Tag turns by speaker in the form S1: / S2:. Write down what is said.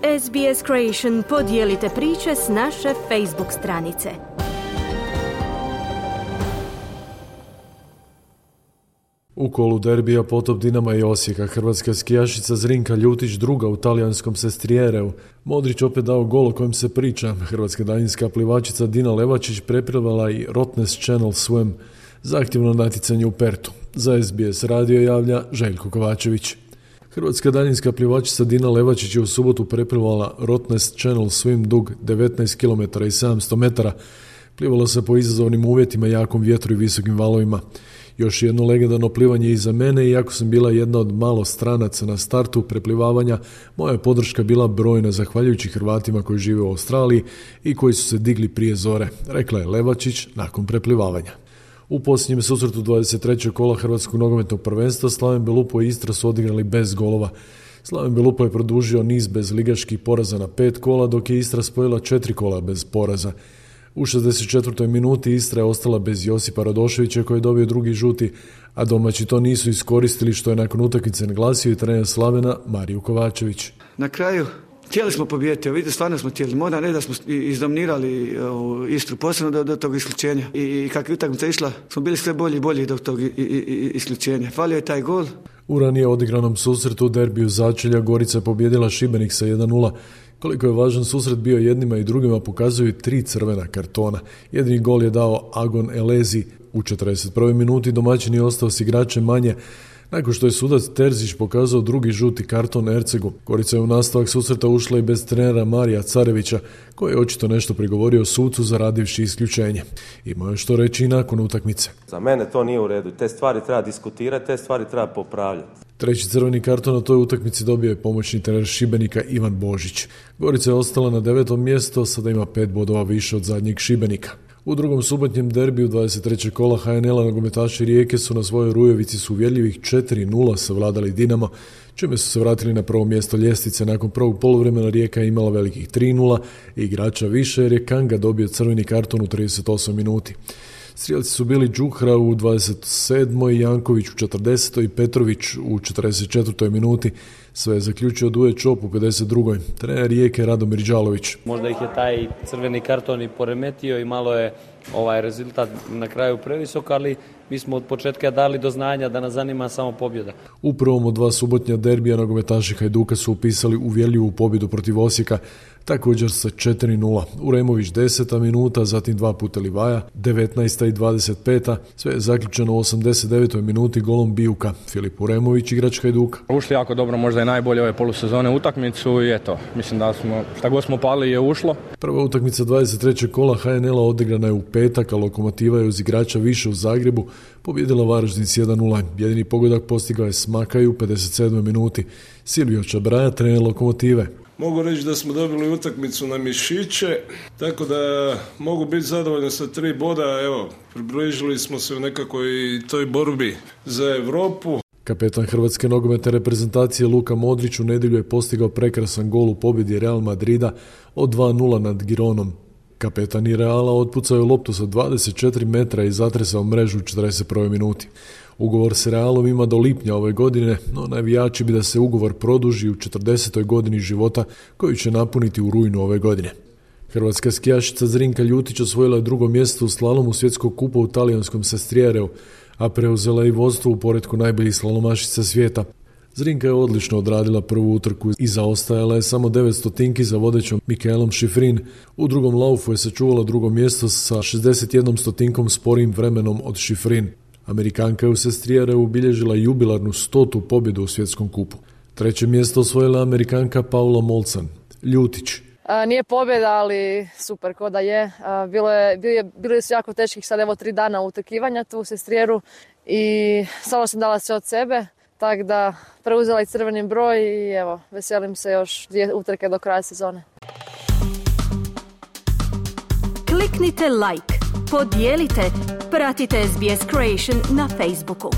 S1: SBS Creation, podijelite priče s naše Facebook stranice.
S2: U kolu derbija potop Dinama i Osijeka hrvatska skijašica Zrinka Ljutić druga u talijanskom Sestriereu. Modrić opet dao gol o kojem se priča. Hrvatska daljinska plivačica Dina Levačić preplivala i Rottnest Channel Swim za aktivno natjecanje u Pertu. Za SBS radio javlja Željko Kovačević. Hrvatska daljinska plivačica Dina Levačić je u subotu preplivala Rottnest Channel Swim dug 19 km i 700 metara. Plivala se po izazovnim uvjetima, jakom vjetru i visokim valovima. Još jedno legendarno plivanje iza mene, iako sam bila jedna od malo stranaca na startu preplivavanja, moja je podrška bila brojna zahvaljujući Hrvatima koji žive u Australiji i koji su se digli prije zore, rekla je Levačić nakon preplivavanja. U posljednjem susretu 23. kola Hrvatskog nogometnog prvenstva Slaven Belupo i Istra su odigrali bez golova. Slaven Belupo je produžio niz bez ligaških poraza na 5 kola, dok je Istra spojila 4 kola bez poraza. U 64. minuti Istra je ostala bez Josipa Radoševića koji je dobio drugi žuti, a domaći to nisu iskoristili, što je nakon utakmice naglasio i trener Slavena Mariju Kovačević.
S3: Na kraju htjeli smo pobijediti, vidite, stvarno smo htjeli. Moram reći da smo izdominirali Istru, posebno do tog isključenja. I kako je utakmica išla, smo bili sve bolji i bolji do tog isključenja. Falio je taj gol.
S2: U ranije odigranom susretu u derbiju začelja Gorica je pobijedila Šibenik sa 1:0. Koliko je važan susret bio jednima i drugima pokazuju 3 crvena kartona. Jedini gol je dao Agon Elezi u 41. minuti, domaćin je ostao s igračem manje nakon što je sudac Terzić pokazao drugi žuti karton Ercegu. Gorica je u nastavak susreta ušla i bez trenera Marija Carevića, koji je očito nešto prigovorio sucu zaradivši isključenje. Imao je što reći i nakon utakmice.
S4: Za mene to nije u redu. Te stvari treba diskutirati, te stvari treba popravljati.
S2: Treći crveni karton na toj utakmici dobio je pomoćni trener Šibenika Ivan Božić. Gorica je ostala na 9. mjestu, sada ima 5 bodova više od zadnjeg Šibenika. U drugom subotnjem derbiju 23. kola HNL-a nogometaši Rijeke su na svojoj Rujevici s uvjerljivih 4:0 savladali Dinamo, čime su se vratili na prvo mjesto ljestvice. Nakon prvog poluvremena Rijeka je imala velikih 3:0 i igrača više jer je Kanga dobio crveni karton u 38 minuti. Strijelci su bili Đuhra u 27. Janković u 40. i Petrović u 44. minuti. Sve je zaključio Duje Čop u 52. Trener Rijeke Radomir Đalović.
S5: Možda ih je taj crveni karton i poremetio i malo je rezultat na kraju previsok, ali mi smo od početka dali do znanja da nas zanima samo pobjeda.
S2: U prvom od 2 subotnja derbija nogometaši Hajduka su upisali uvjerljivu pobjedu protiv Osijeka, također sa 4:0. Uremović 10. minuta, zatim 2 puta Livaja, 19. i 25. Sve je zaključeno u 89. minuti golom Bijuka. Filip Uremović, igrač Hajduka.
S6: Ušli jako dobro, možda je najbolje ove polusezone utakmicu i eto, mislim da smo, šta god smo pali je ušlo.
S2: Prva utakmica 23. kola HNL-a odigrana je u petak, a Lokomotiva je uz igrača više u Zagrebu pobjedila Varaždin s 1:0. Jedini pogodak postigao je Smakaj u 57. minuti. Silvio Čabraja, trener Lokomotive.
S7: Mogu reći da smo dobili utakmicu na mišiće, tako da mogu biti zadovoljan sa 3 boda. Evo, približili smo se u nekakvoj toj borbi za Europu.
S2: Kapetan hrvatske nogometne reprezentacije Luka Modrić u nedjelju je postigao prekrasan gol u pobjedi Real Madrida od 2:0 nad Gironom. Kapetan i Reala otpucao je loptu sa 24 metra i zatresao mrežu u 41. minuti. Ugovor s Realom ima do lipnja ove godine, no navijači bi da se ugovor produži u 40. godini života koju će napuniti u rujnu ove godine. Hrvatska skijašica Zrinka Ljutić osvojila je drugo mjesto u slalomu svjetskog kupa u talijanskom Sestriereu, a preuzela i vodstvo u poretku najboljih slalomašica svijeta. Zrinka je odlično odradila prvu utrku i zaostajala je samo 900 za vodećom Mikaelom Šifrin. U drugom laufu je sačuvala drugo mjesto sa 61 sporijim vremenom od Šifrin. Amerikanka je u Sestriereu ubilježila jubilarnu 100. pobjedu u svjetskom kupu. Treće mjesto osvojila Amerikanka Paula Molcan. Ljutić.
S8: Nije pobjeda, ali super ko da je. Bili su jako teških sad 3 dana utrkivanja tu u Sestrieru i samo sam dala sve od sebe, tako da preuzela i crveni broj i evo, veselim se još 2 utrke do kraja sezone.
S1: Kliknite like, podijelite, pratite SBS Creation na Facebooku.